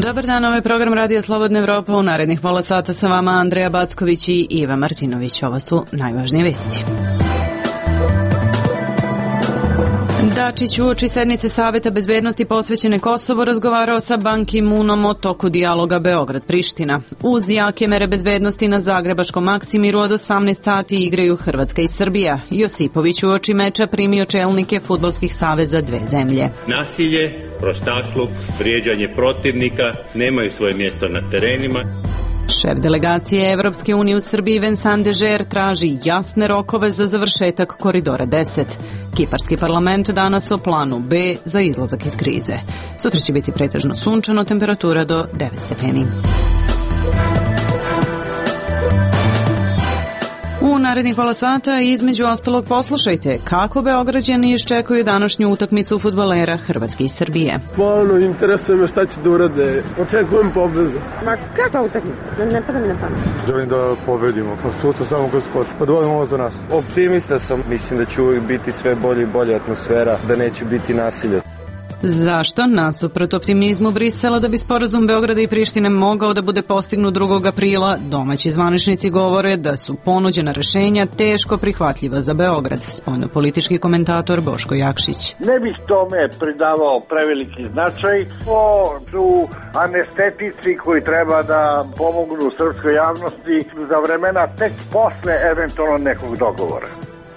Dobar dan, ovaj program Radija Slobodna Evropa. U narednih pola sata sa vama Andreja Backović i Iva Martinović. Ovo su najvažnije vesti. Dačić uoči sednice Saveta bezbednosti posvećene Kosovu razgovarao sa Ban Ki-moonom o toku dijaloga Beograd-Priština. Uz jake mere bezbednosti na zagrebačkom Maksimiru od 18 sati igraju Hrvatska i Srbija. Josipović uoči meča primio čelnike fudbalskih saveza dve zemlje. Nasilje, prostakluk, vrijeđanje protivnika nemaju svoje mjesto na terenima. Šef delegacije Evropske unije u Srbiji Vincent Dežer traži jasne rokove za završetak koridora 10. Kiparski parlament danas o planu B za izlazak iz krize. Sutra će biti pretežno sunčano, temperatura do 9 stepeni. U narednih pola sata između ostalog poslušajte kako Beograđani iščekuju današnju utakmicu fudbalera Hrvatske i Srbije. Interesuje me šta će da urade. Očekujem pobedu. Ma kakva utakmica? Ne pada mi na pamet. Želim da pobedimo. Sutra samo kroz sport. Pa dovoljamo ovo za nas. Optimista sam. Mislim da će uvijek biti sve bolje i bolja atmosfera, da neće biti nasilja. Zašto? Nasuprot optimizmu Brisela da bi sporazum Beograda i Prištine mogao da bude postignut 2. aprila, domaći zvaničnici govore da su ponuđena rešenja teško prihvatljiva za Beograd. Spoljnopolitički komentator Boško Jakšić. Ne bih tome pridavao preveliki značaj. O su anestetici koji treba da pomognu srpskoj javnosti za vremena tek posle eventualno nekog dogovora.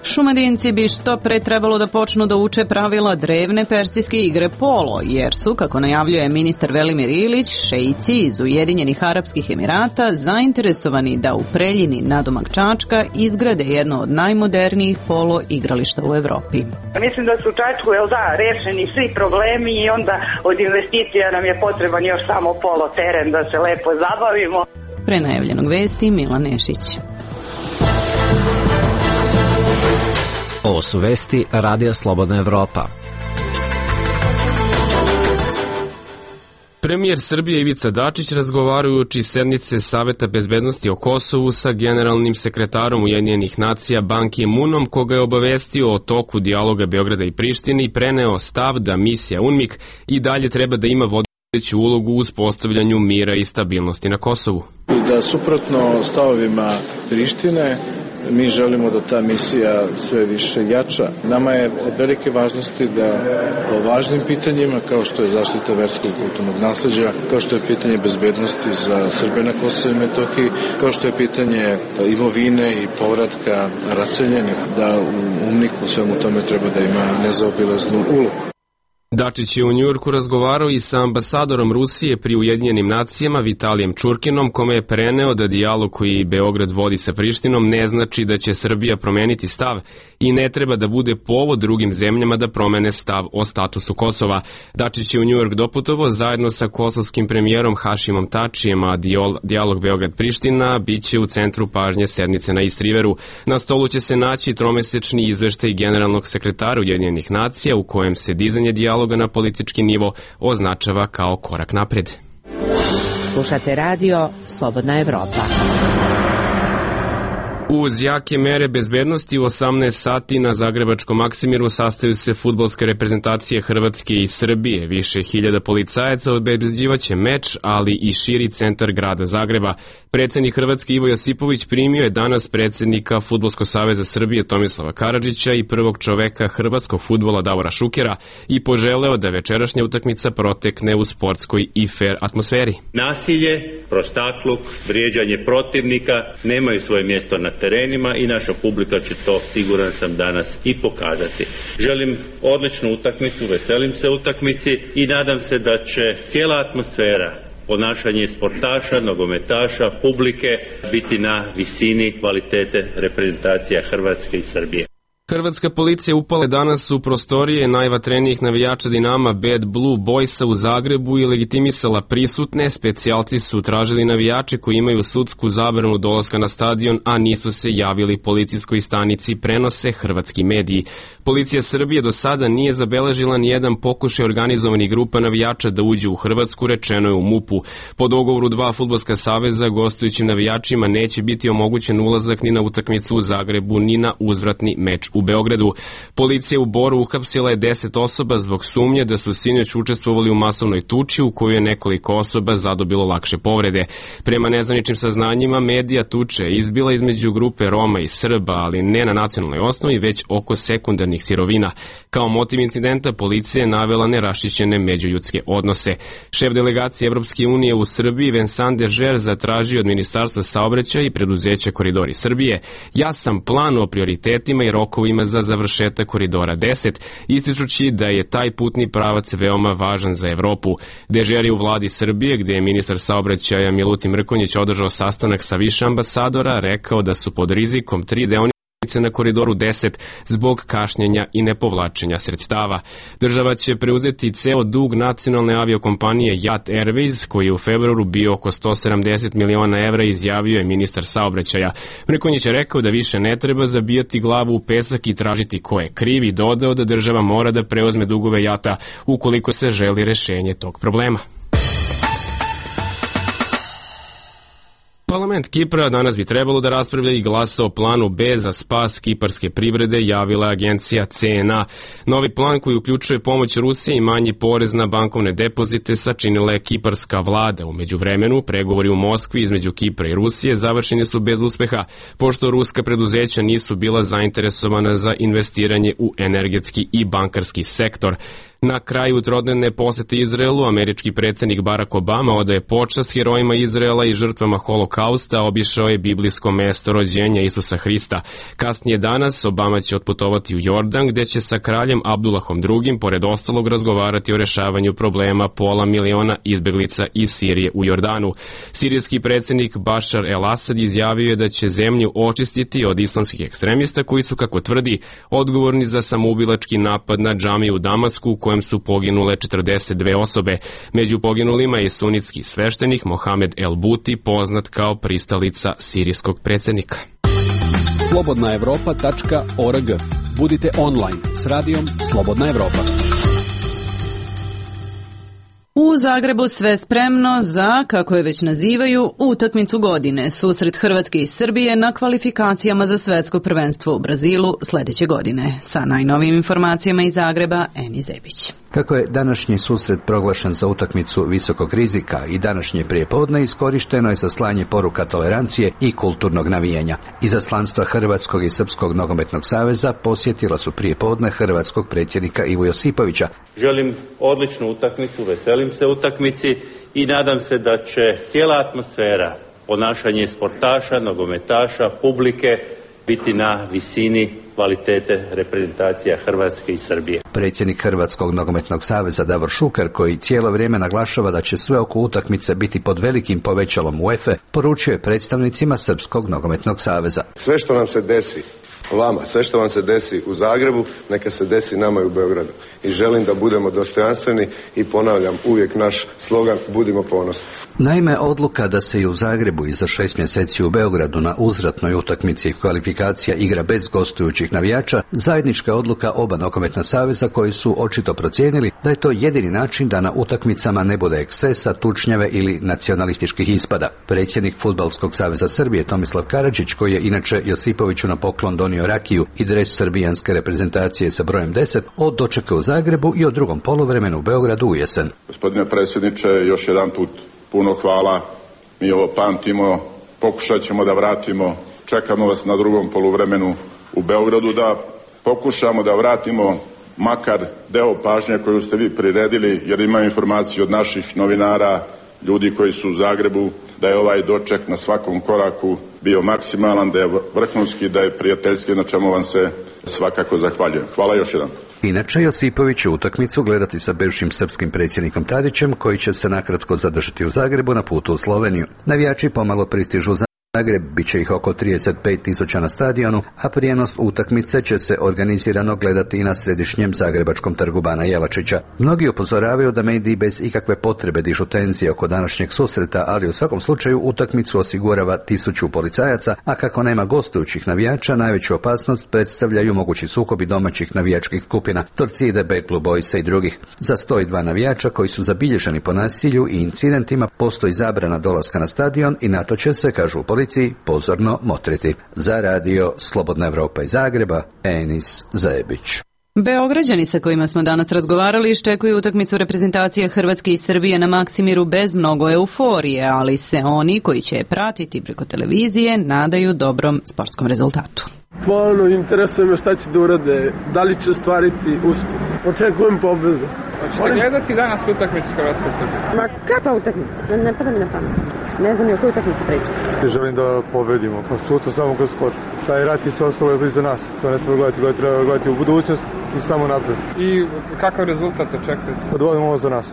Šumadinci bi što pre trebalo da počnu da uče pravila drevne persijske igre polo, jer su, kako najavljuje ministar Velimir Ilić, šeici iz Ujedinjenih Arapskih Emirata zainteresovani da u Preljini nadomak Čačka izgrade jedno od najmodernijih polo igrališta u Evropi. Mislim da su u Čačku, rešeni svi problemi i onda od investicija nam je potreban još samo polo teren da se lepo zabavimo. Pre najavljenog vesti Milan Nešić. Ovo su vesti Radija Slobodna Evropa. Premijer Srbije Ivica Dačić razgovarajući sednice Saveta bezbednosti o Kosovu sa generalnim sekretarom Ujedinjenih nacija Ban Ki-moonom, koga je obavestio o toku dijaloga Beograda i Prištine i preneo stav da misija UNMIK i dalje treba da ima vodeću ulogu u uspostavljanju mira i stabilnosti na Kosovu. Da suprotno stavovima Prištine, mi želimo da ta misija sve više jača. Nama je od velike važnosti da o važnim pitanjima, kao što je zaštita verskog i kulturnog nasleđa, kao što je pitanje bezbednosti za Srbe na Kosovu i Metohiji, kao što je pitanje imovine i povratka raseljenih, da u UNMIK-u svemu tome treba da ima nezaobilaznu ulogu. Dačić je u Njujorku razgovarao i sa ambasadorom Rusije pri Ujedinjenim nacijama Vitalijem Čurkinom, kome je preneo da dijalog koji Beograd vodi sa Prištinom ne znači da će Srbija promeniti stav i ne treba da bude povod drugim zemljama da promene stav o statusu Kosova. Dačić je u Njujork doputovao zajedno sa kosovskim premijerom Hašimom Tačijem, a dijalog Beograd-Priština biće u centru pažnje sednice na East Riveru. Na stolu će se naći tromesečni izveštaj generalnog sekretara Ujedinjenih nacija u kojem se dizanje dijaloga na politički nivo označava kao korak napred. Slušate radio Slobodna Evropa. Uz jake mere bezbednosti u 18 sati na zagrebačkom Maksimiru sastaju se fudbalske reprezentacije Hrvatske i Srbije. Više hiljada policajaca obezbeđivaće meč, ali i širi centar grada Zagreba. Predsjednik Hrvatske Ivo Josipović primio je danas predsjednika Fudbalskog saveza Srbije Tomislava Karadžića i prvog čoveka hrvatskog fudbala Davora Šukera i poželeo da večerašnja utakmica protekne u sportskoj i fair atmosferi. Nasilje, prostakluk, vrijeđanje protivnika nemaju svoje mjesto na terenima i naša publika će to, siguran sam, danas i pokazati. Želim odličnu utakmicu, veselim se utakmici i nadam se da će cijela atmosfera, ponašanje sportaša, nogometaša, publike biti na visini kvalitete reprezentacija Hrvatske i Srbije. Hrvatska policija upala danas u prostorije najvatrenijih navijača Dinama Bad Blue Boysa u Zagrebu i legitimisala prisutne. Specijalci su tražili navijače koji imaju sudsku zabranu dolaska na stadion, a nisu se javili policijskoj stanici, prenose hrvatski mediji. Policija Srbije do sada nije zabeležila ni jedan pokušaj organizovanih grupa navijača da uđu u Hrvatsku, rečeno je u MUP-u. Po dogovoru dva fudbalska saveza gostujućim navijačima neće biti omogućen ulazak ni na utakmicu u Zagrebu, ni na uzvratni meč u Beogradu. Policija u Boru uhapsila je 10 osoba zbog sumnje da su sinoć učestvovali u masovnoj tuči u kojoj je nekoliko osoba zadobilo lakše povrede. Prema nezvaničnim saznanjima, medija tuče izbila između grupe Roma i Srba, ali ne na nacionalnoj osnovi, već oko sekundarnih sirovina. Kao motiv incidenta policija je navela neraščišćene međuljudske odnose. Šef delegacije Evropske unije u Srbiji Vincent Dežer zatražio od Ministarstva saobraćaja i preduzeća Koridori Srbije jasan plan o prioritetima i rokovima za završetak Koridora 10, ističući da je taj putni pravac veoma važan za Evropu. Dežer je u vladi Srbije, gde je ministar saobraćaja Milutin Mrkonjić održao sastanak sa više ambasadora, rekao da su pod rizikom 3 deonice na Koridoru 10 zbog kašnjenja i nepovlačenja sredstava. Država će preuzeti ceo dug nacionalne aviokompanije JAT Airways, koji je u februaru bio oko 170 miliona evra, izjavio je ministar saobraćaja. Mrkonjić je rekao da više ne treba zabijati glavu u pesak i tražiti ko je kriv i dodao da država mora da preuzme dugove JAT-a ukoliko se želi rešenje tog problema. Parlament Kipra danas bi trebalo da raspravlja i glasa o planu B za spas kiparske privrede, javila agencija CNA. Novi plan koji uključuje pomoć Rusije i manji porez na bankovne depozite sačinila je kiparska vlada. U međuvremenu, pregovori u Moskvi između Kipra i Rusije završeni su bez uspeha, pošto ruska preduzeća nisu bila zainteresovana za investiranje u energetski i bankarski sektor. Na kraju trodnevne posete Izraelu, američki predsjednik Barack Obama odaje počast herojima Izraela i žrtvama holokausta, obišao je biblijsko mesto rođenja Isusa Hrista. Kasnije danas Obama će otputovati u Jordan, gde će sa kraljem Abdullahom II. Pored ostalog razgovarati o rešavanju problema pola miliona izbeglica iz Sirije u Jordanu. Sirijski predsjednik Bashar el-Assad izjavio je da će zemlju očistiti od islamskih ekstremista koji su, kako tvrdi, odgovorni za samoubilački napad na džamiju u Damasku, u kojem su poginule 42 osobe. Među poginulima je sunitski sveštenik Mohamed el-Buti, poznat kao pristalica sirijskog predsjednika. slobodnaevropa.org. Budite online s radijom Slobodna Evropa. U Zagrebu sve spremno za, kako je već nazivaju, utakmicu godine, susret Hrvatske i Srbije na kvalifikacijama za svetsko prvenstvo u Brazilu sljedeće godine. Sa najnovijim informacijama iz Zagreba, Eni Zebić. Kako je današnji susret proglašen za utakmicu visokog rizika i današnje prijepodne iskorišteno je za slanje poruka tolerancije i kulturnog navijanja. Izaslanstva Hrvatskog i Srpskog nogometnog saveza posjetila su prijepodne hrvatskog predsjednika Ivu Josipovića. Želim odličnu utakmicu, veselim se utakmici i nadam se da će cijela atmosfera, ponašanje sportaša, nogometaša, publike biti na visini kvalitete reprezentacija Hrvatske i Srbije. Predsjednik Hrvatskog nogometnog saveza Davor Šuker, koji cijelo vrijeme naglašava da će sve oko utakmice biti pod velikim povećalom UEFA, poručio je predstavnicima Srpskog nogometnog saveza. Sve što nam se desi vama, sve što vam se desi u Zagrebu, neka se desi nama i u Beogradu. I želim da budemo dostojanstveni i ponavljam uvijek naš slogan, budimo ponosni. Naime, odluka da se i u Zagrebu i za 6 mjeseci u Beogradu na uzvratnoj utakmici kvalifikacija igra bez gostujućih navijača, zajednička odluka oba nogometna saveza koji su očito procijenili da je to jedini način da na utakmicama ne bude ekscesa, tučnjave ili nacionalističkih ispada. Predsjednik Fudbalskog saveza Srbije Tomislav Karadžić, koji je inače Josipoviću na poklon donio rakiju i dres srbijanske reprezentacije sa brojem 10, od dočeka u Zagrebu i o drugom poluvremenu u Beogradu u jesen. Gospodine predsjedniče, još jedan put puno hvala. Mi ovo pamtimo, pokušat ćemo da vratimo, čekamo vas na drugom poluvremenu u Beogradu, da pokušamo da vratimo makar deo pažnje koju ste vi priredili, jer imam informaciju od naših novinara, ljudi koji su u Zagrebu, da je ovaj doček na svakom koraku bio maksimalan, da je vrhunski, da je prijateljski, na čemu vam se svakako zahvaljujem. Hvala još jedan. Inače, Josipović će utakmicu gledati sa bivšim srpskim predsjednikom Tadićem, koji će se nakratko zadržati u Zagrebu na putu u Sloveniju. Navijači pomalo pristižu u Zagreb, bit će ih oko 35.000 na stadionu, a prijenos utakmice će se organizirano gledati i na središnjem zagrebačkom trgu Bana Jelačića. Mnogi upozoravaju da mediji bez ikakve potrebe dižu tenzije oko današnjeg susreta, ali u svakom slučaju utakmicu osigurava 1000 policajaca, a kako nema gostujućih navijača, najveću opasnost predstavljaju mogući sukobi domaćih navijačkih skupina, Torcide, Bad Blue Boysa i drugih. Za 102 navijača koji su zabilježeni po nasilju i incidentima postoji zabrana dolaska na stadion i na to će se, kažu u policiji, prilici pozorno motriti. Za radio Slobodna Evropa iz Zagreba, Enis Zajebić. Beograđani sa kojima smo danas razgovarali iščekuju utakmicu reprezentacije Hrvatske i Srbije na Maksimiru bez mnogo euforije, ali se oni koji će je pratiti preko televizije nadaju dobrom sportskom rezultatu. Stvarno interesuje me šta će da urade, da li će ostvariti uspjeh. Očekujem pobedu. Hoćete gledati danas utakmicu Hrvatske i Srbije? Ma kakva utakmica? Ne pada mi na pamet. Ne znam ni o kojoj utakmici pričati. Želim da pobedimo, pa sutra samo kroz sport. Taj rat i sve ostalo je iza nas. To ne treba gledati, treba gledati u budućnost i samo napred. I kakav rezultat očekujete? Odvodimo ovo za nas.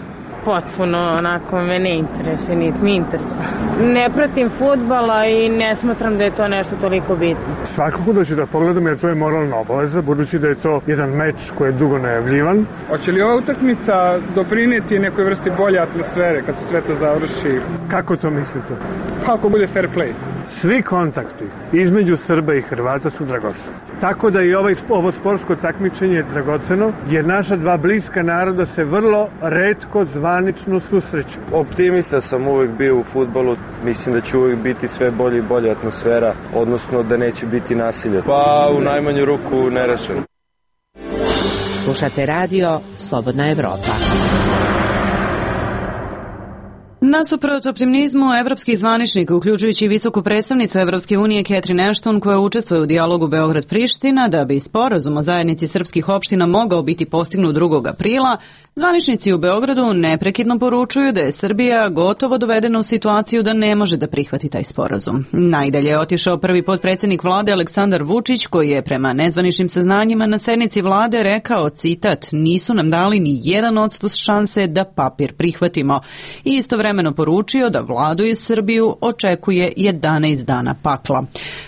Potpuno, onako, me ne interesuje, niti mi interesuje. Ne pratim fudbala i ne smatram da je to nešto toliko bitno. Svakako da ću da pogledam jer to je moralna obaveza, budući da je to jedan meč koji je dugo najavljivan. Hoće li ova utakmica doprinijeti nekoj vrsti bolje atmosfere kad se sve to završi? Kako to mislite? Kako bude fair play? Svi kontakti između Srba i Hrvata su dragoceni. Tako da i ovo sportsko takmičenje je dragoceno, jer naša dva bliska naroda se vrlo retko zvanično susreću. Optimista sam uvijek bio u fudbalu, mislim da će uvijek biti sve bolje i bolje atmosfera, odnosno da neće biti nasilja. Pa u najmanju ruku nerešeno. Slušate radio Slobodna Evropa. Nasuprot optimizmu, evropski zvaničnik, uključujući visoku predstavnicu Evropske unije Catherine Ashton, koja učestvuje u dijalogu Beograd-Priština, da bi sporazum o zajednici srpskih opština mogao biti postignut 2. aprila, zvaničnici u Beogradu neprekidno poručuju da je Srbija gotovo dovedena u situaciju da ne može da prihvati taj sporazum. Najdalje je otišao prvi potpredsjednik vlade Aleksandar Vučić, koji je prema nezvaničnim saznanjima na sednici vlade rekao, citat, nisu nam dali ni 1% šanse da papir prihvatimo. I istovremeno poručio da vladu i Srbiju očekuje 11 dana pakla.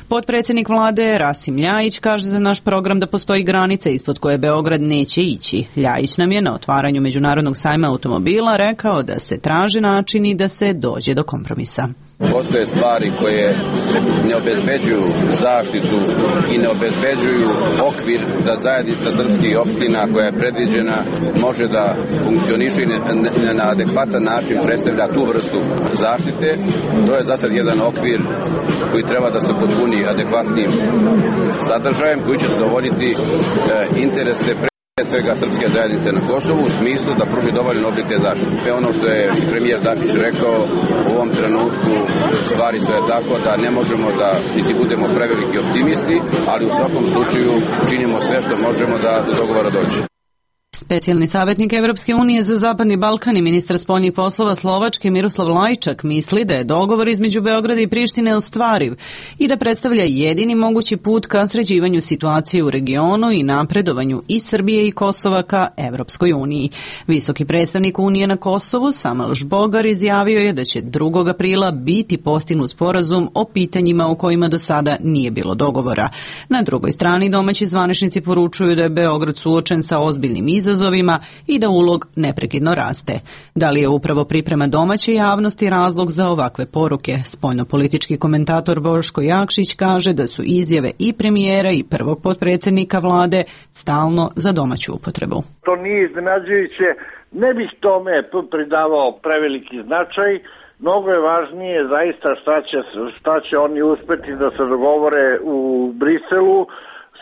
Potpredsjednik vlade Rasim Ljajić kaže za naš program da postoji granica ispod koje Beograd neće ići. Ljajić nam je na otvaranju Međunarodnog sajma automobila rekao da se traže načini da se dođe do kompromisa. Postoje stvari koje ne obezbeđuju zaštitu i ne obezbeđuju okvir da zajednica srpskih opština koja je predviđena može da funkcioniše na adekvatan način predstavlja tu vrstu zaštite. To je za sad jedan okvir koji treba da se potpuni adekvatnim sadržajem koji će zadovoljiti interese svega srpske zajednice na Kosovu u smislu da pruži dovoljan oblik te zaštite. Ono što je premijer Dačić rekao, u ovom trenutku stvari stoje tako da ne možemo da niti budemo preveliki optimisti, ali u svakom slučaju činimo sve što možemo da do dogovora dođe. Specijalni savjetnik Evropske unije za Zapadni Balkan i ministar spoljnih poslova Slovačke Miroslav Lajčak misli da je dogovor između Beograda i Prištine ostvariv i da predstavlja jedini mogući put ka sređivanju situacije u regionu i napredovanju i Srbije i Kosova ka Evropskoj uniji. Visoki predstavnik Unije na Kosovu Samuel Žbogar izjavio je da će 2. aprila biti postignut sporazum o pitanjima u kojima do sada nije bilo dogovora. Na drugoj strani domaći zvaničnici poručuju da je Beograd suočen sa ozbiljnim izazovima i da ulog neprekidno raste. Da li je upravo priprema domaće javnosti razlog za ovakve poruke? Spoljnopolitički komentator Boško Jakšić kaže da su izjave i premijera i prvog potpredsjednika vlade stalno za domaću upotrebu. To nije iznenađujuće, ne bih tome pridavao preveliki značaj. Mnogo je važnije zaista šta će oni uspeti da se dogovore u Briselu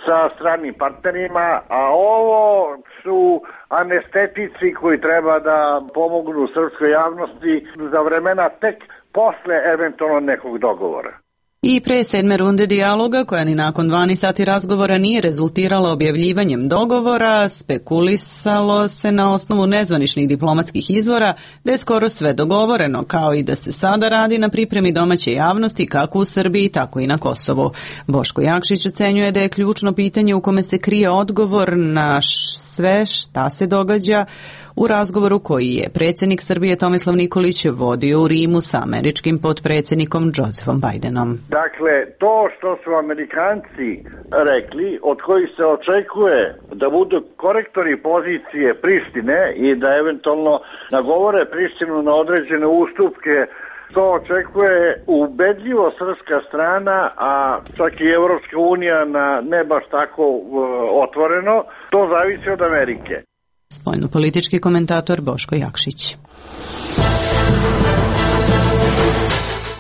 sa stranim partnerima, a ovo su anestetici koji treba da pomognu srpskoj javnosti za vremena tek posle eventualno nekog dogovora. I pre 7. runde dijaloga, koja ni nakon 12 sati razgovora nije rezultirala objavljivanjem dogovora, spekulisalo se na osnovu nezvaničnih diplomatskih izvora da je skoro sve dogovoreno, kao i da se sada radi na pripremi domaće javnosti kako u Srbiji, tako i na Kosovu. Boško Jakšić ocenjuje da je ključno pitanje u kome se krije odgovor na sve šta se događa u razgovoru koji je predsjednik Srbije Tomislav Nikolić vodio u Rimu sa američkim potpredsjednikom Josepom Bidenom. Dakle, to što su Amerikanci rekli, od kojih se očekuje da budu korektori pozicije Prištine i da eventualno nagovore Prištinu na određene ustupke, to očekuje ubedljivo srpska strana, a čak i Evropska unija na ne baš tako otvoreno, to zavisi od Amerike. Spoljnopolitički komentator Boško Jakšić.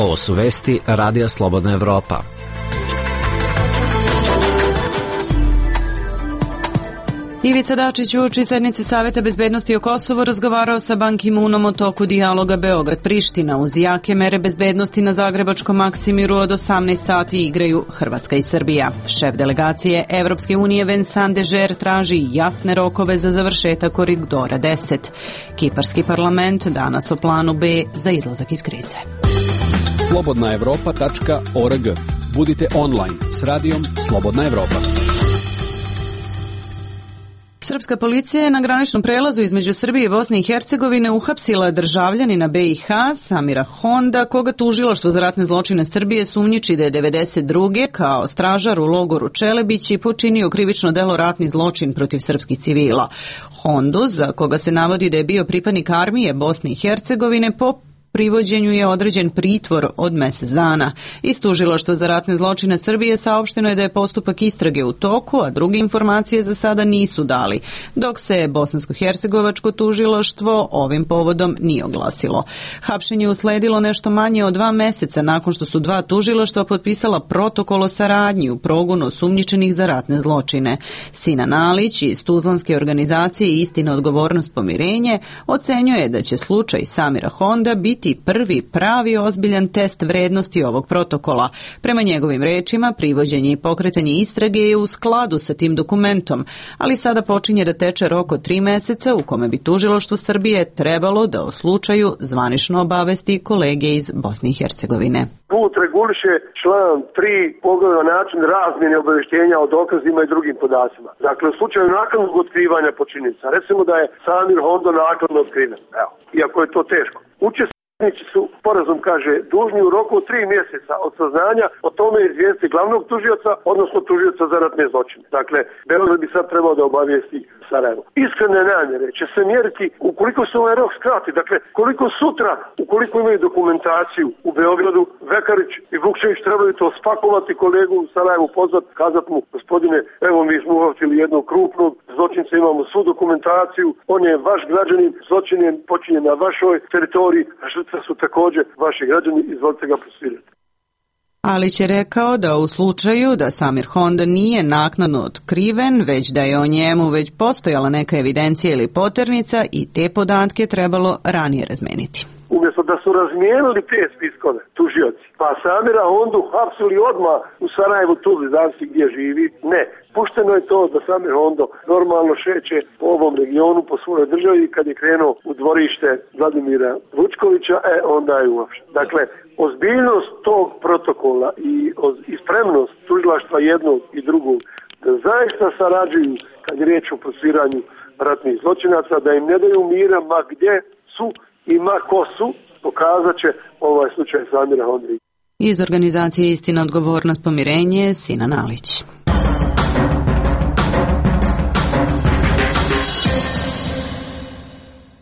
Ovo su vesti Radija Slobodna Evropa. Ivica Dačić uoči sednice Saveta bezbednosti o Kosovu razgovarao sa Ban Ki-moonom o toku dijaloga Beograd-Priština. Uz jake mere bezbednosti na Zagrebačkom Maksimiru od 18 sati igraju Hrvatska i Srbija. Šef delegacije Evropske unije Vincent Dežer traži jasne rokove za završetak koridora 10. Kiparski parlament danas o planu B za izlazak iz krize. slobodnaevropa.org. Budite online s radijom Slobodna Evropa. Srpska policija je na graničnom prelazu između Srbije i Bosne i Hercegovine uhapsila državljanina BiH Samira Honda, koga tužilaštvo za ratne zločine Srbije sumnjiči da je 92. kao stražar u logoru Čelebići počinio krivično delo ratni zločin protiv srpskih civila. Hondu, za koga se navodi da je bio pripadnik armije Bosne i Hercegovine, po privođenju je određen pritvor od mjesec dana. Iz tužilaštva za ratne zločine Srbije saopšteno je da je postupak istrage u toku, a druge informacije za sada nisu dali, dok se bosansko-hercegovačko tužilaštvo ovim povodom nije oglasilo. Hapšenje usledilo nešto manje od 2 mjeseca nakon što su 2 tužilaštva potpisala protokol o saradnji u progonu osumnjičenih za ratne zločine. Sinan Alić iz tuzlanske organizacije Istina, odgovornost, pomirenje ocenjuje da će slučaj Samira Honda biti prvi pravi ozbiljan test vrednosti ovog protokola. Prema njegovim rečima, privođenje i pokretanje istrage je u skladu sa tim dokumentom, ali sada počinje da teče rok od 3 mjeseca u kome bi tužilaštvo Srbije trebalo da o slučaju zvanično obavesti kolege iz Bosne i Hercegovine. Put reguliše član 3 pogleda način razmjene obavještenja o dokazima i drugim podacima. Dakle, u slučaju naknadnog otkrivanja počinjenica, recimo da je Samir Hondo naknadno otkriven, iako je to teško. Učesnici su, sporazum kaže, dužni u roku od 3 mjeseca od saznanja o tome izvijestiti glavnog tužioca, odnosno tužioca za ratne zločine. Dakle, Beograd bi sad trebao da obavijesti Sarajevo. Iskrene namjere će se mjeriti ukoliko se ovaj rok skrati. Dakle, koliko sutra, ukoliko imaju dokumentaciju u Beogradu, Vekarić i Vukčević trebaju to spakovati, kolegu u Sarajevu pozvat, kazat mu, gospodine, evo mi smo uhvatili jednog krupnog zločinca, imamo svu dokumentaciju, on je vaš građanin, zločin je počinjen na vašoj teritoriji, a žrtve su također vaši građani, izvolite ga prosljediti. Alić je rekao da u slučaju da Samir Honda nije naknadno otkriven, već da je o njemu već postojala neka evidencija ili poternica i te podatke trebalo ranije razmeniti. Umjesto da su razmijenili te spiskove, tužioci, pa Samira Hondu hapsili odmah u Sarajevu, Tuzli, zavisi gdje živi, ne. Pušteno je to da Samir Hondo normalno šeće po ovom regionu, po svojoj državi, kad je krenuo u dvorište Vladimira Vučkovića, onda je uopšte. Dakle, ozbiljnost tog protokola i spremnost tužilaštva jednog i drugog da zaista sarađuju kad je riječ o procesuiranju ratnih zločinaca, da im ne daju mira ma gdje su i ma ko su, pokazat će ovaj slučaj Samira Honda. Iz organizacije Istina, odgovornost, pomirenje, Sinan Alić.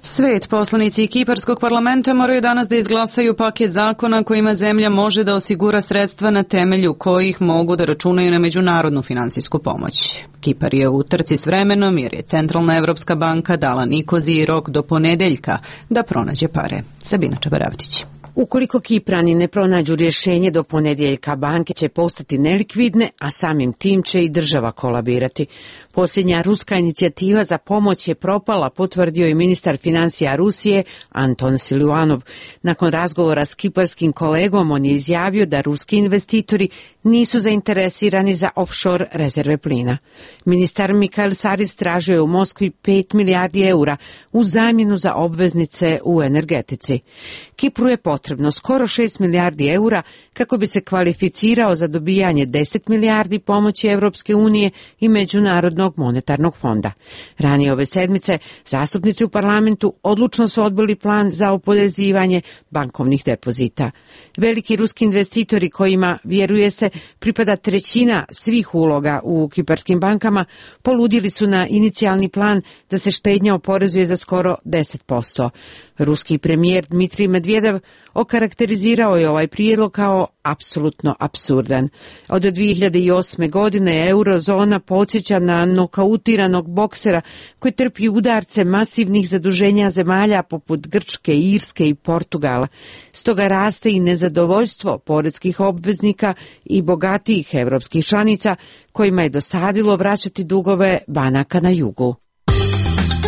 Svet, poslanici Kiparskog parlamenta moraju danas da izglasaju paket zakona kojima zemlja može da osigura sredstva na temelju kojih mogu da računaju na međunarodnu finansijsku pomoć. Kipar je u trci s vremenom jer je Centralna Evropska banka dala Nikoziji rok do ponedeljka da pronađe pare. Sabina Čabaravtić. Ukoliko Kiprani ne pronađu rješenje do ponedjeljka, banke će postati nelikvidne, a samim tim će i država kolabirati. Posljednja ruska inicijativa za pomoć je propala, potvrdio i ministar financija Rusije Anton Siluanov. Nakon razgovora s kiparskim kolegom, on je izjavio da ruski investitori nisu zainteresirani za offshore rezerve plina. Ministar Mikael Saris tražio je u Moskvi 5 milijardi eura u zamjenu za obveznice u energetici. Kipru je potrebno skoro 6 milijardi eura kako bi se kvalificirao za dobijanje 10 milijardi pomoći Evropske unije i Međunarodnog monetarnog fonda. Ranije ove sedmice zastupnici u parlamentu odlučno su odbili plan za oporezivanje bankovnih depozita. Veliki ruski investitori kojima, vjeruje se, pripada trećina svih uloga u kiparskim bankama, poludili su na inicijalni plan da se štednja oporezuje za skoro 10%. Ruski premijer Dmitrij Medvedev okarakterizirao je ovaj prijedlog kao apsolutno apsurdan. Od 2008. godine eurozona podsjeća na nokautiranog boksera koji trpi udarce masivnih zaduženja zemalja poput Grčke, Irske i Portugala. Stoga raste i nezadovoljstvo poreskih obveznika i bogatijih evropskih članica kojima je dosadilo vraćati dugove banaka na jugu.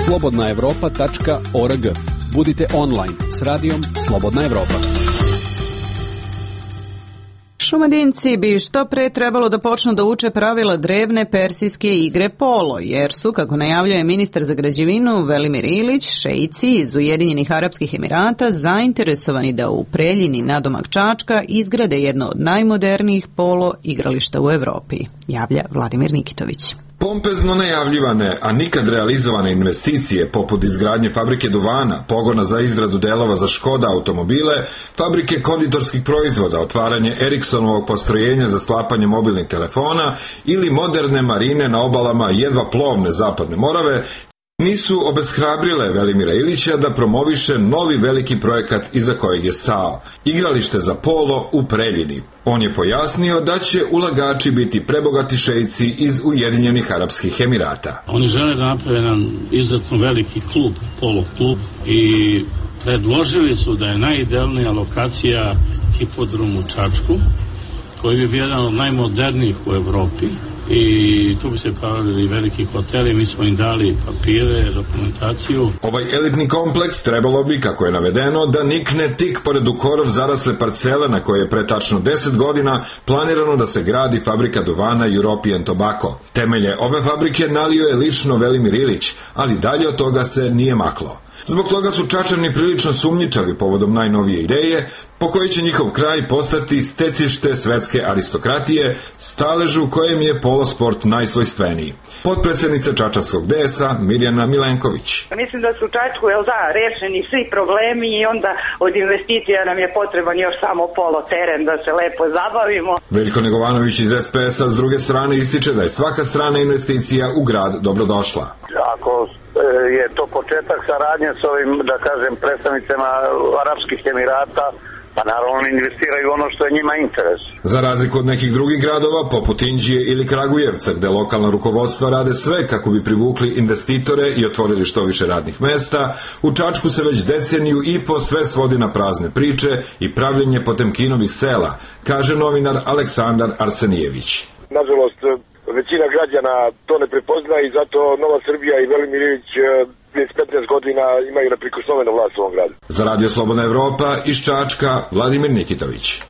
Slobodnaevropa.org. Budite online s radijom Slobodna Evropa. Šumadinci bi što pre trebalo da počnu da uče pravila drevne persijske igre polo, jer su, kako najavljuje ministar za građevinu Velimir Ilić, šeici iz Ujedinjenih Arapskih Emirata zainteresovani da u Preljini nadomak Čačka izgrade jedno od najmodernijih polo igrališta u Evropi, javlja Vladimir Nikitović. Pompezno najavljivane, a nikad realizovane investicije poput izgradnje fabrike duvana, pogona za izradu delova za Škoda automobile, fabrike konditorskih proizvoda, otvaranje Eriksonovog postrojenja za sklapanje mobilnih telefona ili moderne marine na obalama jedva plovne Zapadne Morave, nisu obeshrabrile Velimira Ilića da promoviše novi veliki projekat iza kojeg je stao, igralište za polo u Preljini. On je pojasnio da će ulagači biti prebogati šeici iz Ujedinjenih Arapskih Emirata. Oni žele da naprave jedan izuzetno veliki klub, polo klub, i predložili su da je najidealnija lokacija hipodrom u Čačku, koji bi bio jedan od najmodernijih u Evropi. I tu bi se pravili veliki hoteli, mi smo im dali papire, dokumentaciju. Ovaj elitni kompleks trebalo bi, kako je navedeno, da nikne tik pored u korov zarasle parcele na koje je pre tačno 10 godina planirano da se gradi fabrika duvana European Tobacco. Temelje ove fabrike nalio je lično Velimir Ilić, ali dalje od toga se nije maklo. Zbog toga su Čačani prilično sumnjičavi povodom najnovije ideje, po kojoj će njihov kraj postati stecište svetske aristokratije, staležu kojem je polosport najsvojstveniji. Potpredsjednica Čačanskog DS-a Mirjana Milenković. Mislim da su u Čačku, rešeni svi problemi i onda od investicija nam je potreban još samo polo teren da se lepo zabavimo. Veljko Negovanović iz SPS-a s druge strane ističe da je svaka strana investicija u grad dobrodošla. Ako je to početak saradnje s ovim, da kažem, predstavnicama Arapskih Emirata, pa naravno oni investiraju ono što je njima interes. Za razliku od nekih drugih gradova, poput Inđije ili Kragujevca, gde lokalna rukovodstva rade sve kako bi privukli investitore i otvorili što više radnih mesta, u Čačku se već deceniju i po sve svodi na prazne priče i pravljenje Potemkinovih sela, kaže novinar Aleksandar Arsenijević. Nažalost, većina građana to ne prepoznaje i zato Nova Srbija i Velimir Ilić 15 godina imaju neprikosnovenu vlast u ovom gradu. Za Radio Slobodna Evropa iz Čačka, Vladimir Nikitović.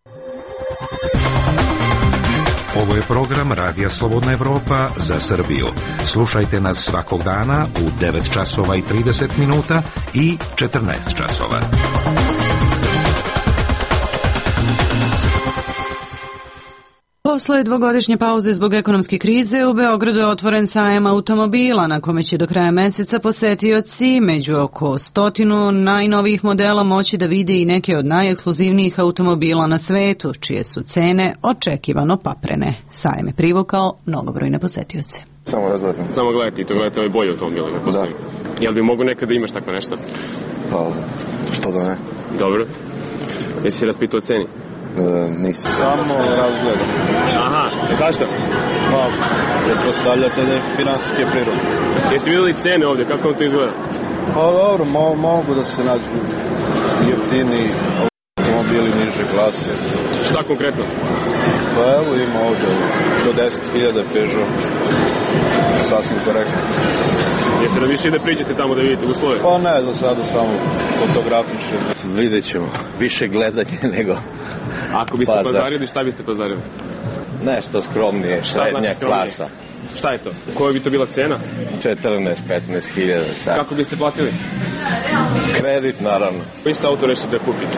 Ovo je program Radija Slobodna Evropa za Srbiju. Slušajte nas svakog dana u 9 časova i 30 minuta i 14 časova. Posle dvogodišnje pauze zbog ekonomske krize u Beogradu je otvoren sajam automobila na kome će do kraja meseca posetioci među oko 100 najnovijih modela moći da vide i neke od najekskluzivnijih automobila na svetu, čije su cene očekivano paprene. Sajam je privukao mnogobrojne posetioce. Samo razgledam. Samo gledajte i to gledajte ovaj bolji automobil. Da. Jel bi mogu nekada imaš tako nešto? Pa, što da ne. Dobro. Jesi se raspitao o ceni? Nisam. Samo razgledam. Aha, zašto? Pa, pretpostavljate da je finansijske prirode. Jeste vidjeli cene ovdje, kako vam to izgleda? Pa dobro, mogu da se nađu jeftini automobili niže klase. Šta konkretno? Pa evo ima ovdje do 10.000 Peugeot. Sasvim korektno. Jeste da više ide priđete tamo da vidite uslove? Pa ne, do sada samo fotografiše. Vidjet ćemo. Više gledanje nego... Ako biste pazarili, šta biste pazarili? Nešto skromnije, srednja klasa. Šta je to? Koja bi to bila cena? 14-15 hiljada. Kako biste platili? Kredit, naravno. Koji ste auto rešite da kupite?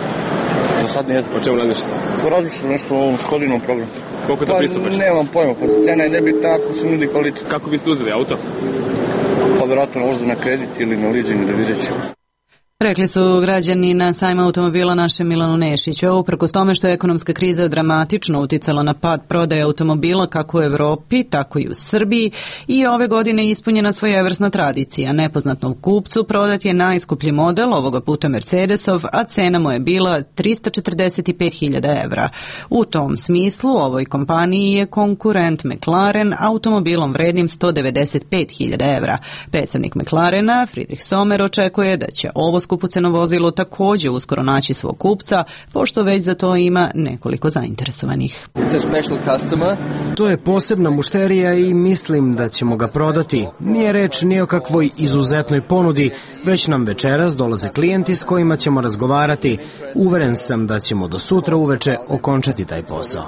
Za sad nijedno. O čemu razmišljate? Razmišljam nešto o ovom Škodinom programu. Koliko je to pristupačno? Nemam pojma, pa cena je nebitna ako se nudi kvalitet. Kako biste uzeli auto? Pa vjerojatno možda na kredit ili na leasing, da vidjet ću. Rekli su građani na sajmu automobila našem Milanu Nešiću. Uprkos tome što je ekonomska kriza dramatično uticala na pad prodaje automobila kako u Evropi, tako i u Srbiji, i ove godine ispunjena svojevrsna tradicija. Nepoznatom kupcu prodat je najskuplji model, ovoga puta Mercedesov, a cena mu je bila 345.000 evra. U tom smislu ovoj kompaniji je konkurent McLaren automobilom vrednim 195.000 evra. Predstavnik McLarena, Friedrich Sommer, očekuje da će ovo skupoceno vozilo također uskoro naći svog kupca, pošto već za to ima nekoliko zainteresovanih. To je posebna mušterija i mislim da ćemo ga prodati. Nije reč ni o kakvoj izuzetnoj ponudi, već nam večeras dolaze klijenti s kojima ćemo razgovarati. Uveren sam da ćemo do sutra uveče okončati taj posao.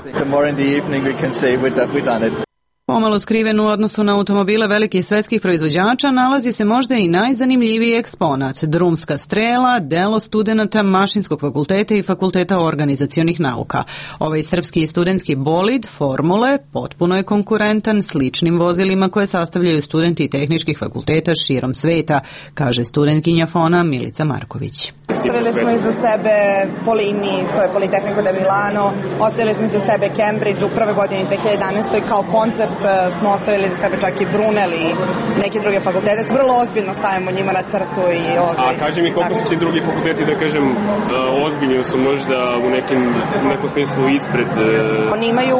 Pomalo skriven u odnosu na automobile velikih svetskih proizvođača nalazi se možda i najzanimljiviji eksponat, drumska strela, delo studenata Mašinskog fakulteta i Fakulteta organizacionih nauka. Ovaj srpski studentski bolid Formule potpuno je konkurentan sličnim vozilima koje sastavljaju studenti tehničkih fakulteta širom sveta, kaže studentkinja FON-a Milica Marković. Ostavili smo iza sebe Polimi, to je Politehnico de Milano, ostavili smo iza sebe Cambridge u prve godini 2011. Kao koncept smo ostavili za sebe čak i Brunel i neke druge fakultete. Vrlo ozbiljno stavimo njima na crtu. A kaži mi koliko su ti drugi fakulteti, da kažem, ozbiljni su možda u nekom smislu ispred? Oni imaju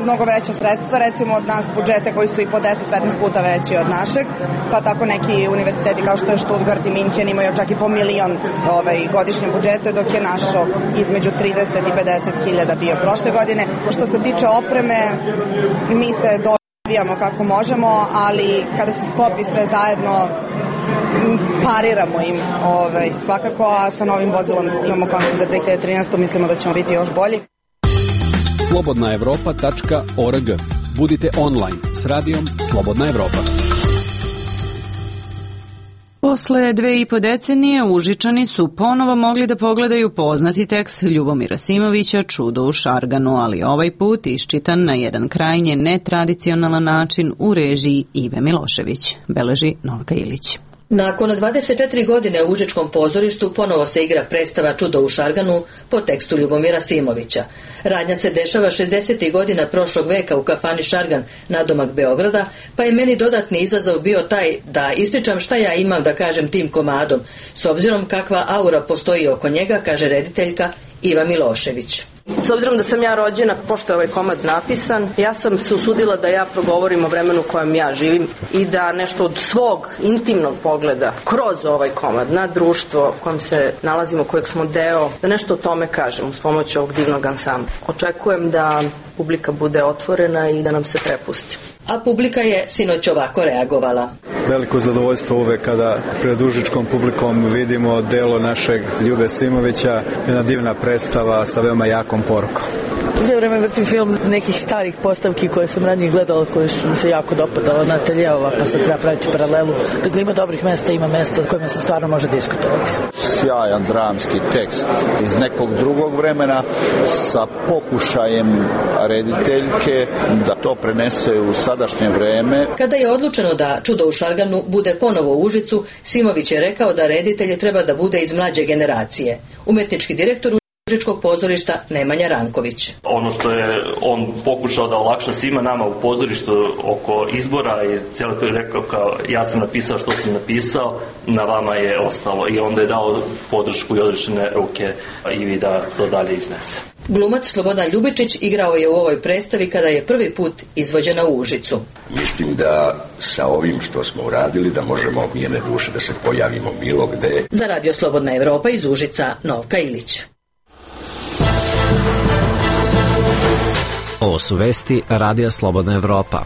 mnogo veća sredstva, recimo od nas budžete koji su i po 10-15 puta veći od našeg, pa tako neki univerziteti kao što je Stuttgart i Minhen imaju čak i po milion godišnje budžete, dok je našo između 30 i 50.000 bio prošle godine. Što se tiče opreme, mi se dovijamo kako možemo, ali kada se sklopi sve zajedno, pariramo im svakako, a sa novim vozilom imamo koncept za 2013. Mislimo da ćemo biti još bolji. slobodnaevropa.org. Budite online s radijom Slobodna Evropa. Posle 2,5 decenije Užičani su ponovo mogli da pogledaju poznati tekst Ljubomira Simovića Čudo u Šarganu, ali ovaj put iščitan na jedan krajnje netradicionalan način u režiji Ive Milošević, beleži Novka Ilić. Nakon 24 godine u Užičkom pozorištu ponovo se igra predstava Čudo u Šarganu po tekstu Ljubomira Simovića. Radnja se dešava 60. godina prošlog veka u kafani Šargan nadomak Beograda, pa je meni dodatni izazov bio taj da ispričam šta ja imam da kažem tim komadom, s obzirom kakva aura postoji oko njega, kaže rediteljka Iva Milošević. S obzirom da sam ja rođena, pošto je ovaj komad napisan, ja sam se usudila da ja progovorim o vremenu u kojem ja živim i da nešto od svog intimnog pogleda kroz ovaj komad na društvo u kojem se nalazimo, kojeg smo deo, da nešto o tome kažem uz pomoć ovog divnog ansambla. Očekujem da publika bude otvorena i da nam se prepusti. A publika je sinoć ovako reagovala. Veliko zadovoljstvo uvek kada pred užičkom publikom vidimo delo našeg Ljube Simovića, jedna divna predstava sa veoma jakom porukom. Sve vreme vrtim film nekih starih postavki koje sam ranije gledala, koje su mi se jako dopadala na Ateljeova, pa sad treba praviti paralelu. Dakle, ima dobrih mesta, ima mesta kojima se stvarno može diskutovati. Sjajan dramski tekst iz nekog drugog vremena sa pokušajem rediteljke da to prenese u sadašnje vreme. Kada je odlučeno da Čudo u Šarganu bude ponovo u Užicu, Simović je rekao da reditelj treba da bude iz mlađe generacije. Umetnički direktor Užičkog pozorišta Nemanja Ranković. Ono što je on pokušao da olakša svima nama u pozorištu oko izbora i cijelo to je rekao kao ja sam napisao što sam napisao, na vama je ostalo, i onda je dao podršku i odrešene ruke Ivi da to dalje iznese. Glumac Slobodan Ljubičić igrao je u ovoj predstavi kada je prvi put izvođena u Užicu. Mislim da sa ovim što smo uradili da možemo mirne duše da se pojavimo bilo gde. Za Radio Slobodna Evropa iz Užica, Novka Ilić. Ovo su vesti Radija Slobodna Evropa.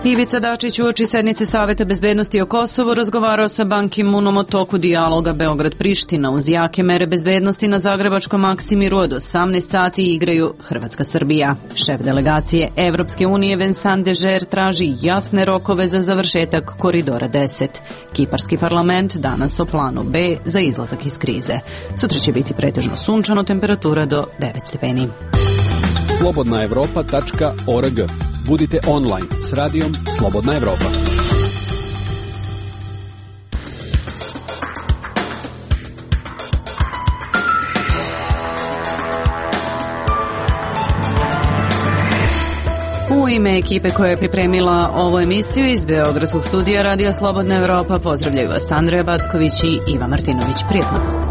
Ivica Dačić uoči sednice Saveta bezbednosti o Kosovu razgovarao sa Ban Ki-moonom o toku dijaloga Beograd-Priština. Uz jake mere bezbednosti na zagrebačkom Maksimiru od 18 sati igraju Hrvatska-Srbija. Šef delegacije Evropske unije Vincent Dežer traži jasne rokove za završetak Koridora 10. Kiparski parlament danas o planu B za izlazak iz krize. Sutra će biti pretežno sunčano, temperatura do 9 stepeni. slobodnaevropa.org. Budite online s radijom Slobodna Evropa. U ime ekipe koja je pripremila ovu emisiju iz Beogradskog studija Radija Slobodna Evropa pozdravljaju vas Andreja Backović i Iva Martinović. Prijetno.